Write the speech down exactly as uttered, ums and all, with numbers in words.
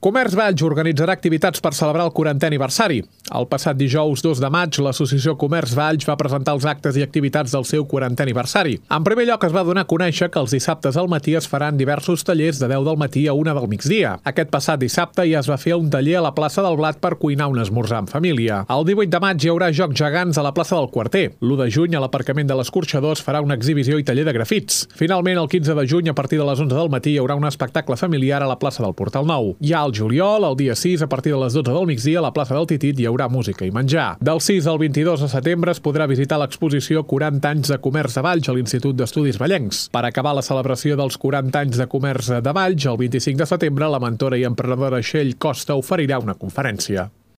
Comerç Valls organitzarà activitats per celebrar el quarantè aniversari. El passat dijous dos de maig, l'associació Comerç Valls va presentar els actes i activitats del seu quarantè aniversari. En primer lloc, es va donar a conèixer que els dissabtes al matí es faran diversos tallers de deu del matí a una del migdia. Aquest passat dissabte ja es va fer un taller a la plaça del Blat per cuinar un esmorzar en família. El divuit de maig hi haurà jocs gegants a la plaça del Quarter. l'u de juny, a l'aparcament de l'Escorxador, es farà una exhibició i taller de grafits. Finalment, el quinze de juny, a partir de les onze del matí, hi haurà un espectacle familiar a la plaça del Portal Nou. Hi ha el juliol, el dia sis, a partir de les dotze del migdia, a la plaça del Titit hi haurà música i menjar. Del sis al vint-i-dos de setembre es podrà visitar l'exposició quaranta anys de comerç de Valls a l'Institut d'Estudis Vallencs. Per acabar la celebració dels quaranta anys de comerç de Valls, el vint-i-cinc de setembre, la mentora i emprenedora Txell Costa oferirà una conferència.